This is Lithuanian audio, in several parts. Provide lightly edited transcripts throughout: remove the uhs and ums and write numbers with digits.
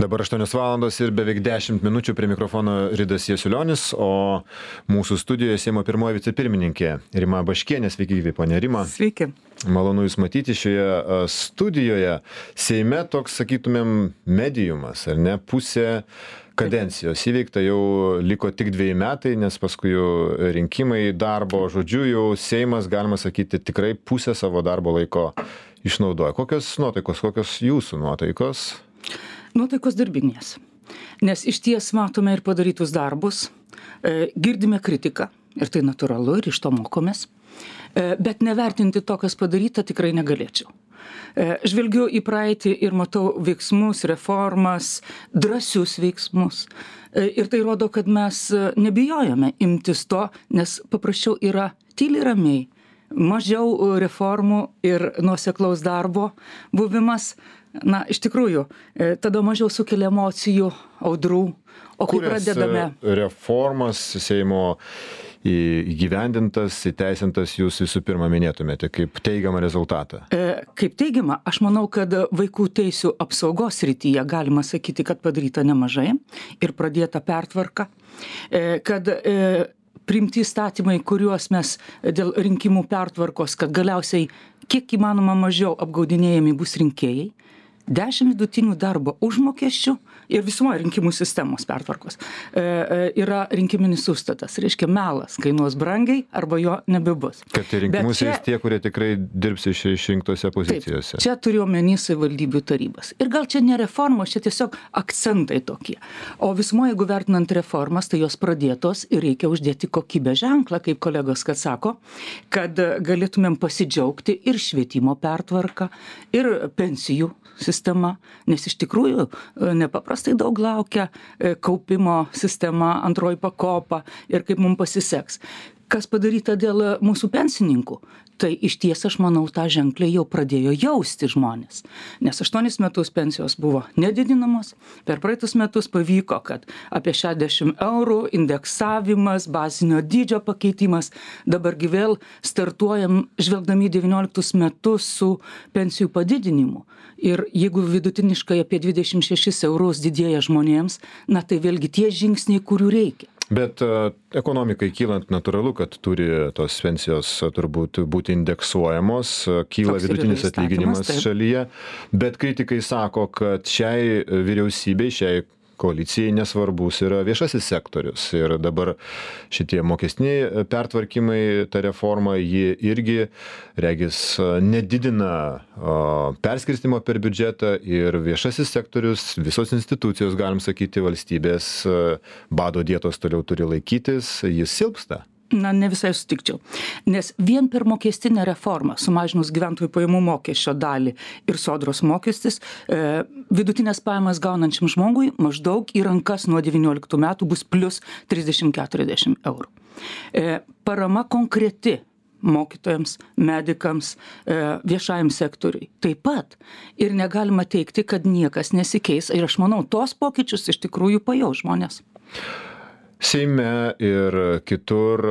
Dabar 8 valandos ir beveik 10 minučių prie mikrofono Ridas Jasiulionis, o mūsų studijoje Seimo pirmoji vicepirmininkė Rima Baškienė. Sveiki, gyvi, ponė Rima. Sveiki. Malonu Jūs matyti šioje studijoje. Seime toks, sakytumėm, mediumas, ar ne? Pusė kadencijos įveikta, jau liko tik 2 metai, nes paskui jau rinkimai darbo, žodžiu, jau Seimas, galima sakyti, tikrai pusę savo darbo laiko išnaudoja. Kokios nuotaikos, kokios jūsų nuotaikos? Nuotaikos darbinės. Nes iš ties matome ir padarytus darbus, girdime kritiką, ir tai natūralu, ir iš to mokomės, bet nevertinti to, kas padaryta, tikrai negalėčiau. Žvelgiu į praeitį ir matau veiksmus, reformas, drąsius veiksmus. Ir tai rodo, kad mes nebijojame imtis to, nes paprasčiau yra tyliai ramiai, mažiau reformų ir nuoseklaus darbo buvimas. Na, iš tikrųjų, tada mažiau sukelia emocijų, audrų, o kai pradedame... Reformas Seimo įgyvendintas, įteisintas jūs visų pirma minėtumėte kaip teigiamą rezultatą? Kaip teigiamą, aš manau, kad vaikų teisių apsaugos srityje galima sakyti, kad padaryta nemažai ir pradėta pertvarka, kad priimti įstatymai, kuriuos mes dėl rinkimų pertvarkos, kad galiausiai kiek įmanoma mažiau apgaudinėjami bus rinkėjai, 10 vidutinių darbo užmokesčių ir visumoje rinkimų sistemos pertvarkos yra rinkiminis užstatas. Reiškia, melas kainuos brangiai arba jo nebebus. Kad į rinkimus eis tie, kurie tikrai dirbs išrinktose pozicijose. Taip, čia turiu omeny savivaldybių tarybas. Ir gal čia ne reformos, čia tiesiog akcentai tokie. O visumoje, jeigu vertinant reformas, tai jos pradėtos ir reikia uždėti kokybės ženklą, kaip kolegos kad sako, kad galėtumėm pasidžiaugti ir švietimo pertvarką, ir pensijų sistema, nes iš tikrųjų nepaprastai daug laukia kaupimo sistema, antroji pakopa ir kaip mums pasiseks. Kas padaryta dėl mūsų pensininkų? Tai iš ties, aš manau, tą ženklę jau pradėjo jausti žmonės. Nes 8 metus pensijos buvo nedidinamos, per praeitus metus pavyko, kad apie 60 eurų indeksavimas, bazinio dydžio pakeitimas, dabargi vėl startuojam žvelgdami 19 metus su pensijų padidinimu. Ir jeigu vidutiniškai apie 26 eurus didėja žmonėms, na tai vėlgi tie žingsniai, kurių reikia. Bet ekonomikai kylant natūralu, kad turi tos pensijos turbūt būti indeksuojamos, kyla vidutinis atlyginimas šalyje, bet kritikai sako, kad šiai vyriausybei, šiai koalicijai nesvarbus yra viešasis sektorius. Ir dabar šitie mokestiniai pertvarkymai, ta reforma, ji irgi, regis, nedidina perskirstimo per biudžetą ir viešasis sektorius, visos institucijos, galim sakyti, valstybės bado dietos toliau turi laikytis, jis silpsta. Na, ne visai sutikčiau. Nes vien per mokestinę reformą, sumažinus gyventojų pajamų mokesčio dalį ir sodros mokestis, vidutinės pajamas gaunančiam žmogui maždaug į rankas nuo 19 metų bus plus 30-40 eurų. Parama konkreti mokytojams, medikams, viešajam sektoriui. Taip pat. Ir negalima teigti, kad niekas nesikeis. Ir aš manau, tos pokyčius iš tikrųjų pajaus žmonės. Seime ir kitur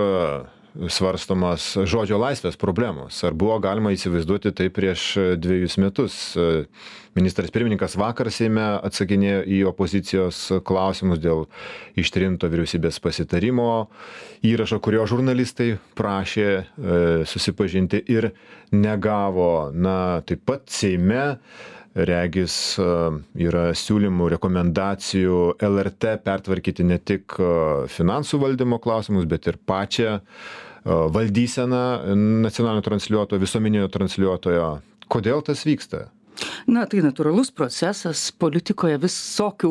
svarstomas žodžio laisvės problemos. Ar buvo galima įsivaizduoti tai prieš 2 metus? Ministras pirmininkas vakar Seime atsakinėjo į opozicijos klausimus dėl ištrinto vyriausybės pasitarimo įrašo, kurio žurnalistai prašė susipažinti ir negavo. Na, taip pat Seime regis yra siūlymų, rekomendacijų LRT pertvarkyti ne tik finansų valdymo klausimus, bet ir pačią valdyseną nacionalinio transliuotojo, visuomeninio transliuotojo. Kodėl tas vyksta? Na, tai natūralus procesas, politikoje visokių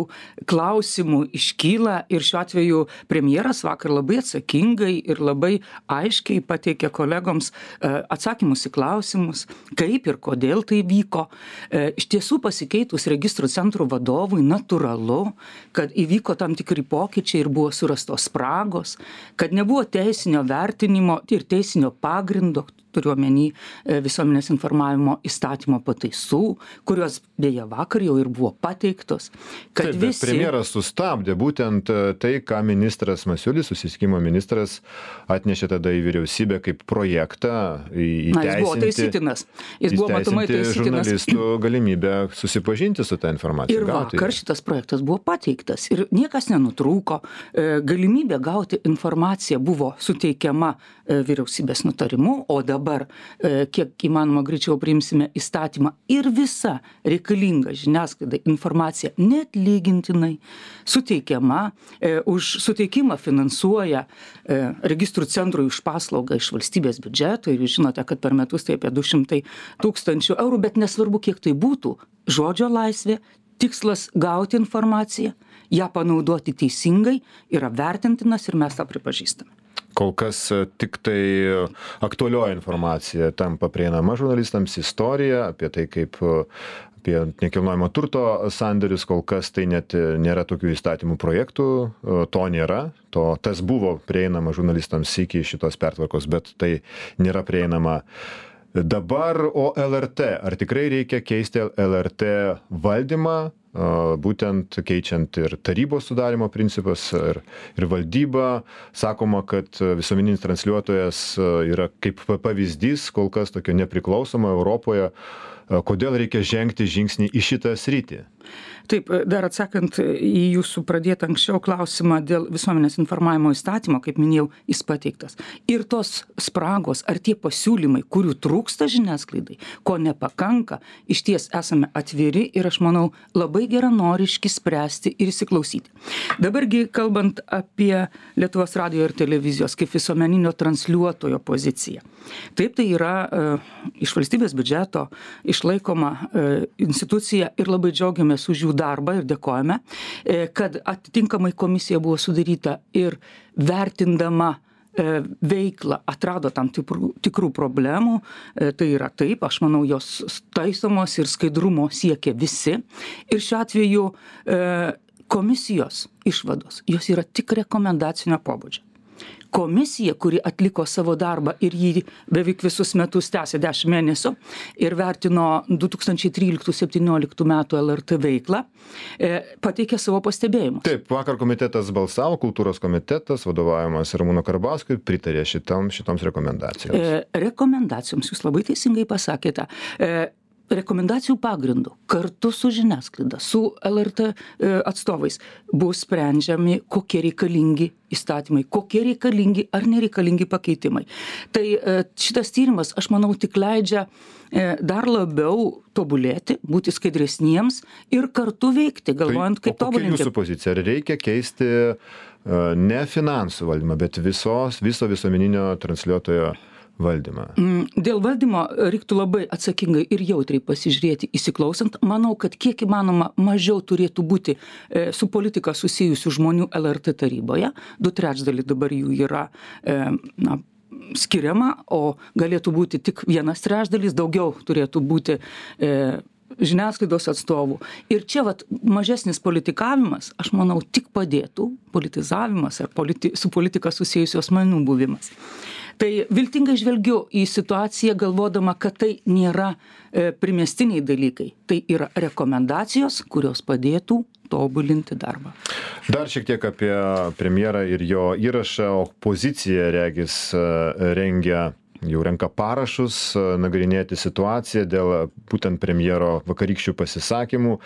klausimų iškyla ir šiuo atveju premjeras vakar labai atsakingai ir labai aiškiai pateikė kolegoms atsakymus į klausimus, kaip ir kodėl tai vyko. Iš tiesų pasikeitus registrų centrų vadovui natūralu, kad įvyko tam tikri pokyčiai ir buvo surastos spragos, kad nebuvo teisinio vertinimo ir teisinio pagrindo turiu omeny visuomenės informavimo įstatymo pataisų, kurios beje vakar jau ir buvo pateiktos, kad Taip, bet premjeras sustabdė būtent tai, ką ministras Masiulis, susisiekimo ministras, atnešė tada į vyriausybę kaip projektą įteisinti. Jis buvo taisytinas. Jis buvo matomai taisytinas. Žurnalistų galimybę susipažinti su tą informaciją. Ir vakar šitas projektas buvo pateiktas ir niekas nenutrūko. Galimybė gauti informaciją buvo suteikiama vyriausybės nutarimu, o dabar kiek įmanoma greičiau priimsime įstatymą ir visa reikalinga žiniasklaidai informacija neatlygintinai suteikiama, už suteikimą finansuoja registrų centrui už paslaugą iš valstybės biudžeto ir jūs žinote, kad per metus tai apie 200 000 eurų, bet nesvarbu, kiek tai būtų, žodžio laisvė, tikslas gauti informaciją, ją panaudoti teisingai yra vertintinas ir mes tą pripažįstame. Kol kas tik tai aktualioji informacija tampa prieinama žurnalistams, istorija apie tai, kaip apie nekilnojamo turto sandėrius, kol kas tai net nėra tokių įstatymų projektų, to nėra, tas buvo prieinama žurnalistams iki šitos pertvarkos, bet tai nėra prieinama dabar. O LRT, ar tikrai reikia keisti LRT valdymą, būtent keičiant ir tarybos sudarimo principas ir valdybą? Sakoma, kad visuomeninis transliuotojas yra kaip pavyzdys kol kas tokio nepriklausomo Europoje. Kodėl reikia žengti žingsnį į šitą sritį? Taip, dar atsakant į jūsų pradėtą anksčiau klausimą dėl visuomenės informavimo įstatymo, kaip minėjau, jis pateiktas. Ir tos spragos ar tie pasiūlymai, kurių trūksta žiniasklaidai, ko nepakanka, išties esame atviri ir aš manau labai geranoriški spręsti ir įsiklausyti. Dabargi kalbant apie Lietuvos radijo ir televizijos kaip visuomeninio transliuotojo poziciją. Taip, tai yra iš valstybės biudžeto išlaikoma institucija ir labai džiaugiamės už jų darbą ir dėkojame, kad atitinkamai komisija buvo sudaryta ir vertindama veiklą atrado tam tikrų problemų. Tai yra taip, aš manau, jos taisomos ir skaidrumo siekia visi. Ir šiuo atveju komisijos išvados, jos yra tik rekomendacinio pobūdžio. Komisija, kuri atliko savo darbą ir jį beveik visus metus tęsė 10 mėnesių ir vertino 2013-2017 metų LRT veiklą, pateikė savo pastebėjimus. Taip, vakar komitetas balsavo, kultūros komitetas, vadovaujamas Ramūno Karbauskio, pritarė šitoms rekomendacijoms. Rekomendacijoms, jūs labai teisingai pasakėte. Rekomendacijų pagrindų kartu su žiniasklaida, su LRT atstovais bus sprendžiami, kokie reikalingi įstatymai, kokie reikalingi ar nereikalingi pakeitimai. Tai šitas tyrimas, aš manau, tik leidžia dar labiau tobulėti, būti skaidresniems ir kartu veikti, galvojant, kaip tobulinti. Kokia jūsų pozicija? Ar reikia keisti ne finansų valdymą, bet viso visuomeninio transliuotojo valdymą? Dėl valdymo reiktų labai atsakingai ir jautriai pasižiūrėti, įsiklausant. Manau, kad kiek įmanoma mažiau turėtų būti su politika susijusių žmonių LRT taryboje. 2/3 dabar jų yra skiriama, o galėtų būti tik 1/3, daugiau turėtų būti žiniasklaidos atstovų. Ir čia mažesnis politikavimas, aš manau, tik padėtų politizavimas ar su politika susijusių asmenų buvimas. Tai viltingai žvelgiu į situaciją, galvodama, kad tai nėra primestiniai dalykai. Tai yra rekomendacijos, kurios padėtų tobulinti darbą. Dar šiek tiek apie premjerą ir jo įrašą. Opozicija, regis, renka parašus nagrinėti situaciją dėl būtent premjero vakarykščių pasisakymų.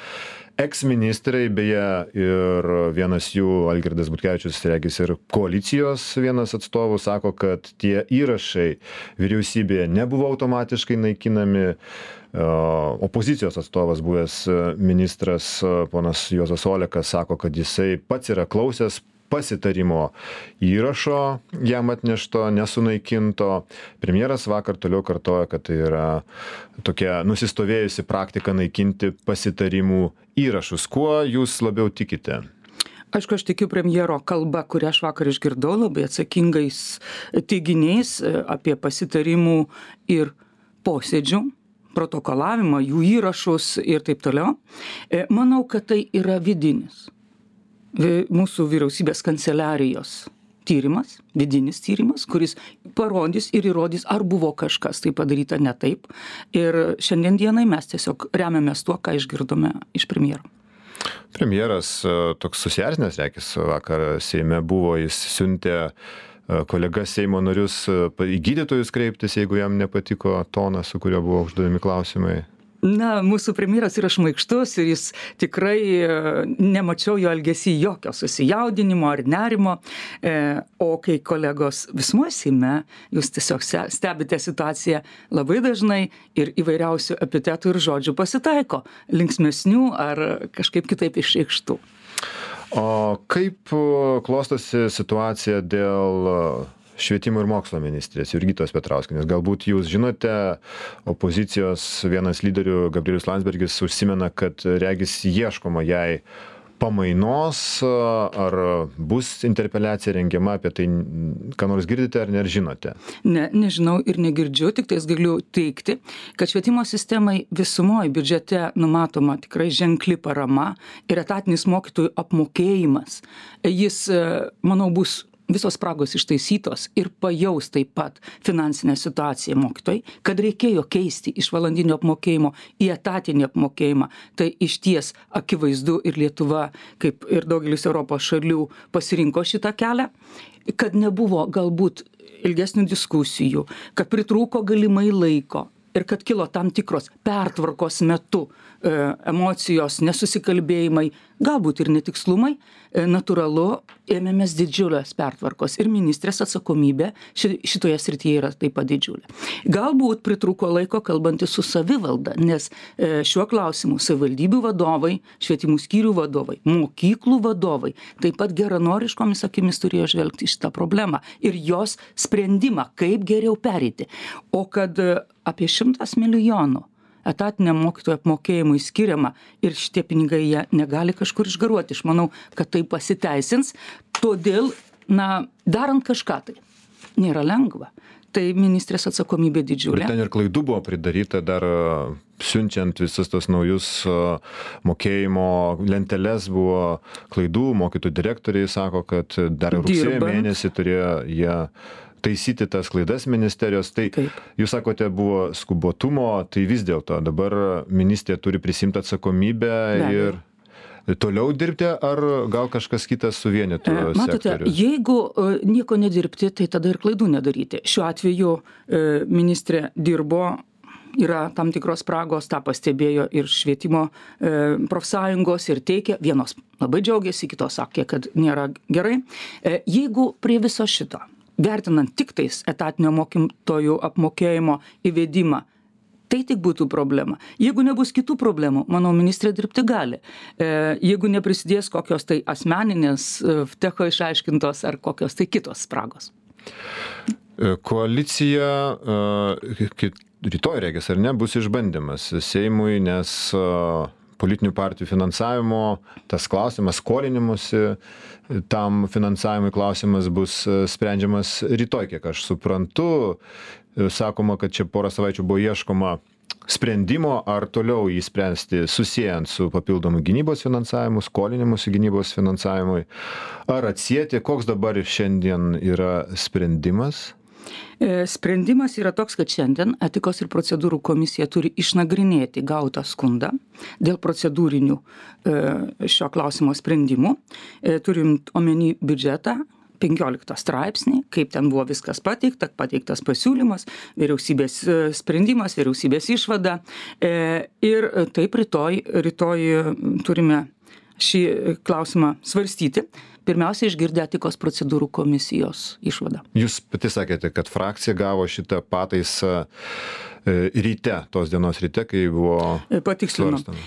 Eksministrai, beje, ir vienas jų, Algirdas Butkevičius, regis ir koalicijos vienas atstovų, sako, kad tie įrašai vyriausybėje nebuvo automatiškai naikinami. Opozicijos atstovas, buvęs ministras ponas Juozas Olekas, sako, kad jisai pats yra klausęs pasitarimo įrašo jam atnešto, nesunaikinto. Premjeras vakar toliau kartoja, kad tai yra tokia nusistovėjusi praktika naikinti pasitarimų įrašus. Kuo jūs labiau tikite? Aišku, aš tikiu premjero kalba, kurią aš vakar išgirdau, labai atsakingais teiginiais apie pasitarimų ir posėdžių, protokolavimą, jų įrašus ir taip toliau. Manau, kad tai yra vidinis mūsų vyriausybės kanceliarijos tyrimas, vidinis tyrimas, kuris parodys ir įrodys, ar buvo kažkas tai padaryta ne taip. Ir šiandien dienai mes tiesiog remiamės tuo, ką išgirdome iš premjero. Premjeras toks susierzinęs, reikės, vakar Seime buvo, jis siuntė kolegas Seimo narius į gydytojus kreiptis, jeigu jam nepatiko tonas, su kuriuo buvo užduodami klausimai. Na, mūsų premjeras yra šmaikštus ir jis tikrai nemačiau jo elgesį jokio susijaudinimo ar nerimo, o kai kolegos visumoje Seime, jūs tiesiog stebite situaciją labai dažnai ir įvairiausių epitetų ir žodžių pasitaiko, linksmesnių ar kažkaip kitaip išreikštų. O kaip klostosi situacija dėl švietimo ir mokslo ministrės Jurgitos Petrauskienės? Galbūt jūs žinote, opozicijos vienas lyderių Gabrielius Landsbergis užsimena, kad regis ieškoma jai pamainos, ar bus interpeliacija rengiama, apie tai ką nors girdite ar nežinote? Ne, nežinau ir negirdžiu, tik tais galiu teikti, kad švietimo sistemai visumoje biudžete numatoma tikrai ženkli parama ir etatinis mokytojų apmokėjimas. Jis, manau, bus visos spragos ištaisytos ir pajaus taip pat finansinę situaciją mokytojai, kad reikėjo keisti iš valandinio apmokėjimo į etatinį apmokėjimą. Tai išties akivaizdu ir Lietuva, kaip ir daugelis Europos šalių, pasirinko šitą kelią, kad nebuvo galbūt ilgesnių diskusijų, kad pritrūko galimai laiko ir kad kilo tam tikros pertvarkos metu emocijos, nesusikalbėjimai, galbūt ir netikslumai, natūralu, ėmėmės didžiulės pertvarkos ir ministrės atsakomybė šitoje srityje yra taip pat didžiulė. Galbūt pritrūko laiko kalbantis su savivalda, nes šiuo klausimu savivaldybių vadovai, švietimų skyrių vadovai, mokyklų vadovai taip pat geranoriškomis akimis turėjo žvelgti šitą problemą ir jos sprendimą, kaip geriau pereiti. O kad apie 100 milijonų etatiniam mokytojų apmokėjimui skiriama ir šitie pinigai jie negali kažkur išgaruoti. Aš manau, kad tai pasiteisins. Todėl, darant kažką tai nėra lengva. Tai ministrės atsakomybė didžiulė. Bet ten ir klaidų buvo pridaryta dar siunčiant visus tos naujus mokėjimo lenteles buvo klaidų. Mokytojų direktoriai sako, kad dar rugsėjo mėnesį turėjo jie taisyti tas klaidas ministerijos. Tai jūs sakote, buvo skubotumo, tai vis dėlto dabar ministrė turi prisimti atsakomybę ir toliau dirbti, ar gal kažkas kitas suvienytų sektorių? Matote, jeigu nieko nedirbti, tai tada ir klaidų nedaryti. Šiuo atveju ministrė dirbo, yra tam tikros spragos, tą pastebėjo ir švietimo profsąjungos ir teikia, vienos labai džiaugiasi, kitos sakė, kad nėra gerai. Jeigu prie viso šito, vertinant tik tais etatinio mokytojų apmokėjimo įvedimą, tai tik būtų problema. Jeigu nebus kitų problemų, manau, ministrė dirbti gali. Jeigu neprisidės kokios tai asmeninės, vtecho išaiškintos ar kokios tai kitos spragos. Koalicija rytoj, regis, ar ne, bus išbandymas Seimui, nes politinių partijų finansavimo, tas klausimas skolinimusi, tam finansavimui klausimas bus sprendžiamas rytoj, kiek aš suprantu. Sakoma, kad čia porą savaičių buvo ieškoma sprendimo, ar toliau jį spręsti susijant su papildomu gynybos finansavimu, skolinimusi gynybos finansavimui, ar atsieti, koks dabar šiandien yra sprendimas? Sprendimas yra toks, kad šiandien etikos ir procedūrų komisija turi išnagrinėti gautą skundą dėl procedūrinių šio klausimo sprendimų. Turint omeny biudžetą, 15 straipsnį, kaip ten buvo viskas pateiktas pasiūlymas, vyriausybės sprendimas, vyriausybės išvada. Ir taip rytoj turime šį klausimą svarstyti. Pirmiausia, išgirdę etikos procedūrų komisijos išvadą. Jūs pati sakėte, kad frakcija gavo šitą pataisą ryte, tos dienos ryte, kai buvo svarstama.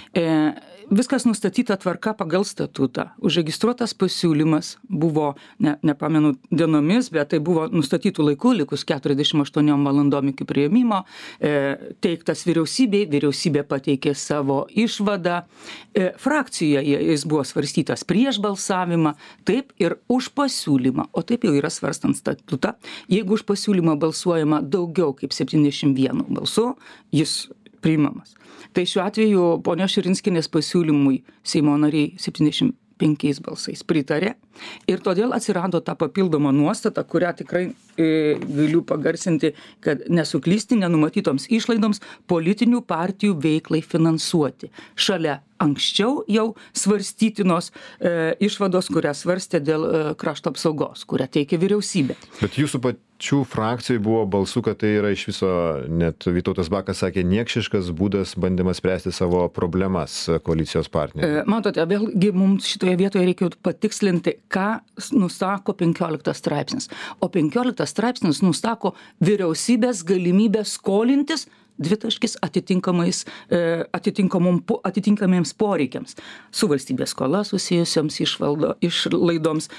Viskas nustatyta tvarka pagal statutą. Užregistruotas pasiūlymas buvo, nepamenu dienomis, bet tai buvo nustatytų laikų, likus 48 valandom iki priėmimo, teiktas vyriausybei, vyriausybė pateikė savo išvadą. Frakcijoje jis buvo svarstytas prieš balsavimą, taip ir už pasiūlymą, o taip jau yra svarstant statutą. Jeigu už pasiūlymą balsuojama daugiau kaip 71 balsų, jis priimamas. Tai šiuo atveju ponios Širinskienės pasiūlymui Seimo nariai 75 balsais pritarė. Ir todėl atsirado ta papildoma nuostata, kurią tikrai galiu pagarsinti, kad nesuklysti nenumatytoms išlaidoms politinių partijų veiklai finansuoti. Šalia anksčiau jau svarstytinos išvados, kurią svarstė dėl krašto apsaugos, kurią teikė vyriausybė. Bet jūsų pačių frakcijai buvo balsų, kad tai yra iš viso, net Vytautas Bakas sakė, niekšiškas būdas bandymas spręsti savo problemas koalicijos partnerių. Matote, vėlgi mums šitoje vietoje reikia patikslinti, ką nusako 15 straipsnis. O 15 straipsnis nusako vyriausybės galimybę skolintis atitinkamiems poreikiams. Su valstybės skola susijusioms išlaidoms,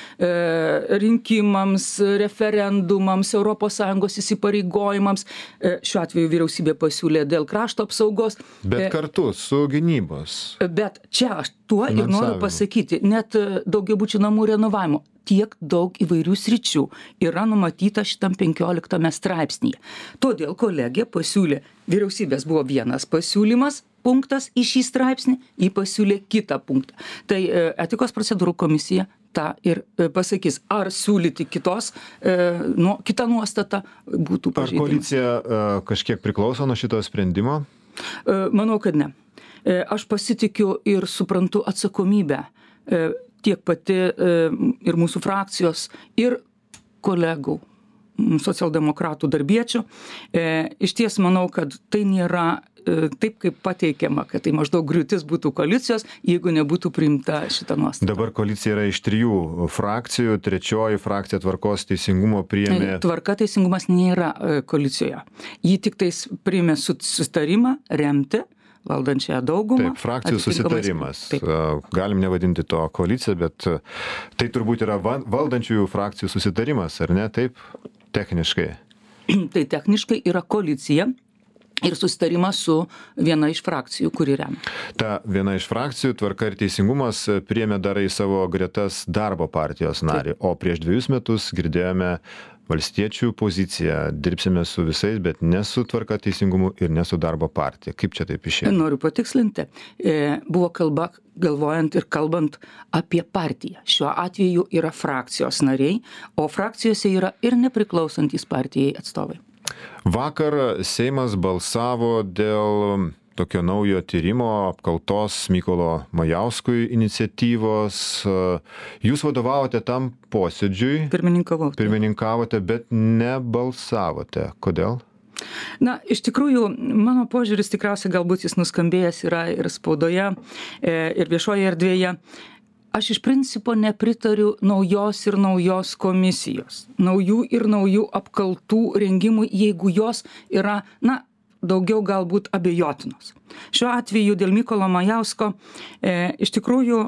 rinkimams, referendumams, ES įsipareigojimams. Šiuo atveju vyriausybė pasiūlė dėl krašto apsaugos. Bet kartu su gynybos. Bet čia aš tuo ir noriu pasakyti, net daugiabučių namų renovavimo. Tiek daug įvairių sričių yra numatyta šitam 15 straipsnyje. Todėl kolegė pasiūlė, vyriausybės buvo vienas pasiūlymas, punktas į šį straipsnį, jį pasiūlė kitą punktą. Tai etikos procedūrų komisija tą ir pasakys, ar siūlyti kitą nuostatą būtų pažeidimas. Ar koalicija kažkiek priklauso nuo šito sprendimo? Manau, kad ne. Aš pasitikiu ir suprantu atsakomybę tiek pati ir mūsų frakcijos, ir kolegų, socialdemokratų darbiečių. Iš ties manau, kad tai nėra taip, kaip pateikiama, kad tai maždaug griūtis būtų koalicijos, jeigu nebūtų priimta šita nuostata. Dabar koalicija yra iš 3 frakcijų, 3 frakcija Tvarkos teisingumo priėmė. Tvarka teisingumas nėra koalicijoje. Jį tik tais priėmė susitarimą remti valdančiąją daugumą. Taip, frakcijų susitarimas. Taip. Galim nevadinti to koalicija, bet tai turbūt yra valdančiųjų frakcijų susitarimas, ar ne? Taip, techniškai. Tai techniškai yra koalicija ir susitarimas su viena iš frakcijų, kuri remia. Ta viena iš frakcijų, Tvarka ir teisingumas, priėmė dar į savo gretas darbo partijos narį, o prieš 2 metus girdėjome valstiečių poziciją, dirbsime su visais, bet ne su Tvarka teisingumu ir ne su darbo partija. Kaip čia taip išėjo? Noriu patikslinti. Buvo kalba, galvojant ir kalbant apie partiją. Šiuo atveju yra frakcijos nariai, o frakcijose yra ir nepriklausantys partijai atstovai. Vakar Seimas balsavo dėl tokio naujo tyrimo apkaltos Mykolo Majauskui iniciatyvos. Jūs vadovavote tam posėdžiui. Pirmininkavote, bet nebalsavote. Kodėl? Na, iš tikrųjų, mano požiūris tikriausiai galbūt jis nuskambėjęs yra ir spaudoje, ir viešoje erdvėje. Aš iš principo nepritariu naujos komisijos, naujų apkaltų rengimui, jeigu jos yra, daugiau galbūt abejotinos. Šiuo atveju dėl Mykolo Majausko iš tikrųjų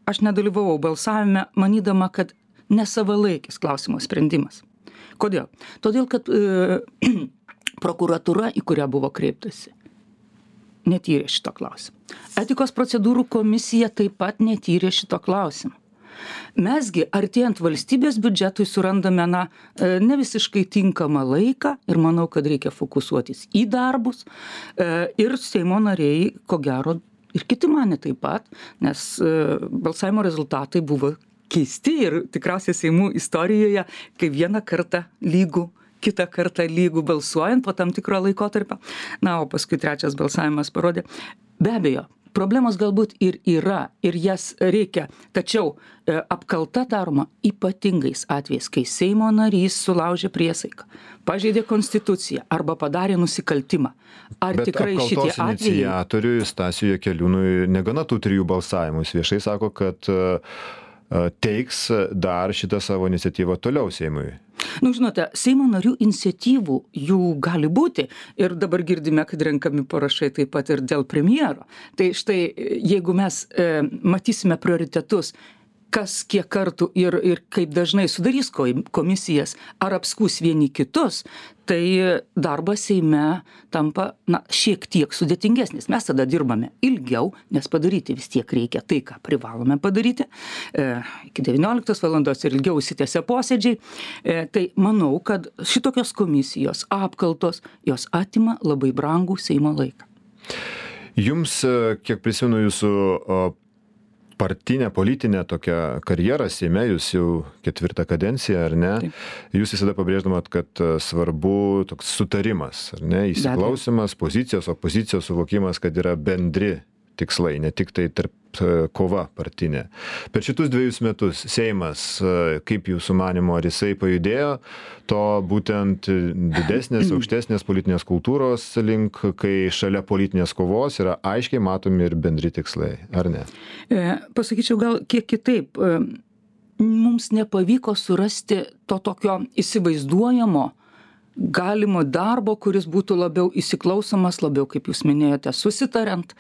aš nedalyvavau balsavime, manydama, kad nesavalaikis klausimo sprendimas. Kodėl? Todėl, kad prokuratūra, į kurią buvo kreiptasi, netyrė šito klausimo. Etikos procedūrų komisija taip pat netyrė šito klausimo. Mesgi, artėjant valstybės biudžetui, surandame ne visiškai tinkamą laiką ir manau, kad reikia fokusuotis į darbus. Ir Seimo nariai, ko gero, ir kiti mane taip pat, nes balsavimo rezultatai buvo keisti ir tikriausiai Seimų istorijoje, kai vieną kartą lygų, kitą kartą lygų balsuojant po tam tikro laikotarpio. O paskui trečias balsavimas parodė. Be abejo, problemos galbūt ir yra, ir jas reikia, tačiau apkalta daroma ypatingais atvejais, kai Seimo narys sulaužė priesaiką, pažeidė konstituciją arba padarė nusikaltimą. Ar tikrai šitie atvejai? Bet apkaltos iniciatoriui Stasiui Jakeliūnui negana tų 3 balsavimų. Jis viešai sako, kad teiks dar šitą savo iniciatyvą toliau Seimui. Žinote, Seimo narių iniciatyvų jų gali būti ir dabar girdime, kad renkami parašai taip pat ir dėl premjero. Tai štai, jeigu mes matysime prioritetus, kas kiek kartų ir kaip dažnai sudarys komisijas ar apskūs vieni kitus, tai darbas Seime tampa šiek tiek sudėtingesnis. Mes tada dirbame ilgiau, nes padaryti vis tiek reikia tai, ką privalome padaryti. Iki 19 valandos ir ilgiau užsitęsia posėdžiai. Tai manau, kad šitokios komisijos apkaltos, jos atima labai brangų Seimo laiką. Jums, kiek prisimenu jūsų partinę, politinę tokią karjerą Seime, jūs jau 4 kadenciją, ar ne? Taip. Jūs visada pabrėždamat, kad svarbu toks sutarimas, ar ne? Įsiklausimas, pozicijos, opozicijos suvokimas, kad yra bendri tikslai, ne tik tai tarp kova partinė. Per šitus 2 metus Seimas, kaip jūsų manymo, ar jisai pajudėjo to būtent didesnės, aukštesnės politinės kultūros link, kai šalia politinės kovos yra aiškiai matomi ir bendri tikslai, ar ne? Pasakyčiau gal kiek kitaip. Mums nepavyko surasti to tokio įsivaizduojamo galimo darbo, kuris būtų labiau įsiklausomas, labiau, kaip jūs minėjote, susitariant.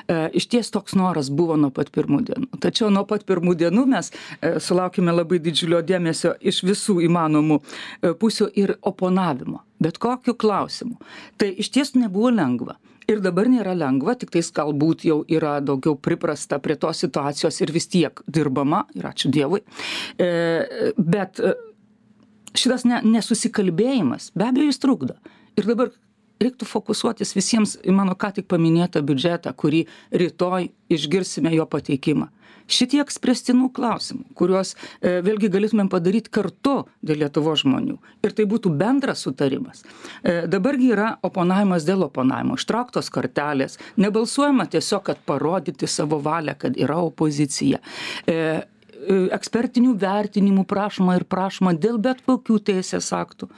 Išties toks noras buvo nuo pat pirmų dienų. Tačiau nuo pat pirmų dienų mes sulaukime labai didžiulio dėmesio iš visų įmanomų pusių ir oponavimo. Bet kokiu klausimu. Tai išties nebuvo lengva. Ir dabar nėra lengva, tik tais galbūt jau yra daugiau priprasta prie tos situacijos ir vis tiek dirbama, ir ačiū Dievui. Bet šitas nesusikalbėjimas, be abejo, jis trukdo. Ir dabar reiktų fokusuotis visiems į mano ką tik paminėtą biudžetą, kurį rytoj išgirsime jo pateikimą. Šitiek spręstinų klausimų, kuriuos vėlgi galėtumėm padaryti kartu dėl Lietuvos žmonių. Ir tai būtų bendras sutarimas. Dabargi yra oponavimas dėl oponavimo, ištrauktos kortelės, nebalsuojama tiesiog, kad parodyti savo valią, kad yra opozicija. Ekspertinių vertinimų prašoma ir prašoma dėl bet kokių teisės aktų.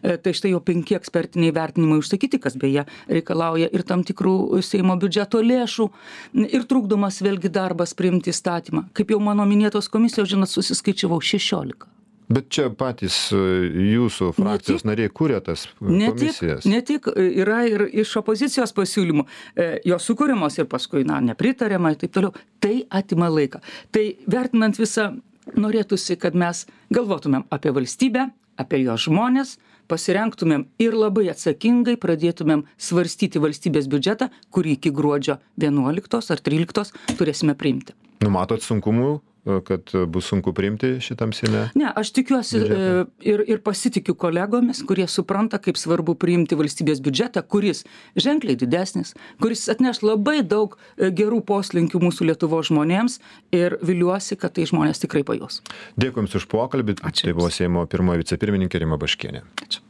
Tai štai jau 5 ekspertiniai vertinimai užsakyti, kas beje reikalauja ir tam tikrų Seimo biudžeto lėšų ir trukdomas vėlgi darbas priimti įstatymą. Kaip jau mano minėtos komisijos, žinot, susiskaičiavau 16. Bet čia patys jūsų frakcijos nariai kūrė tas komisijas. Ne tik yra ir iš opozicijos pasiūlymų, jos sukūrimos ir paskui, nepritariama ir taip toliau. Tai atima laiką. Tai vertinant visą, norėtųsi, kad mes galvotumėm apie valstybę, apie jos žmonės, pasirengtumėm ir labai atsakingai pradėtumėm svarstyti valstybės biudžetą, kurį iki gruodžio 11 ar 13 turėsime priimti. Numatot sunkumų, kad bus sunku priimti šitam Seime? Ne, aš tikiuosi ir pasitikiu kolegomis, kurie supranta, kaip svarbu priimti valstybės biudžetą, kuris ženkliai didesnis, kuris atneš labai daug gerų poslinkių mūsų Lietuvos žmonėms ir viliuosi, kad tai žmonės tikrai pajus. Dėkui Jums už pokalbį. Ačiū. Tai buvo Seimo pirmoji vicepirmininkė Rima Baškienė. Ačiū.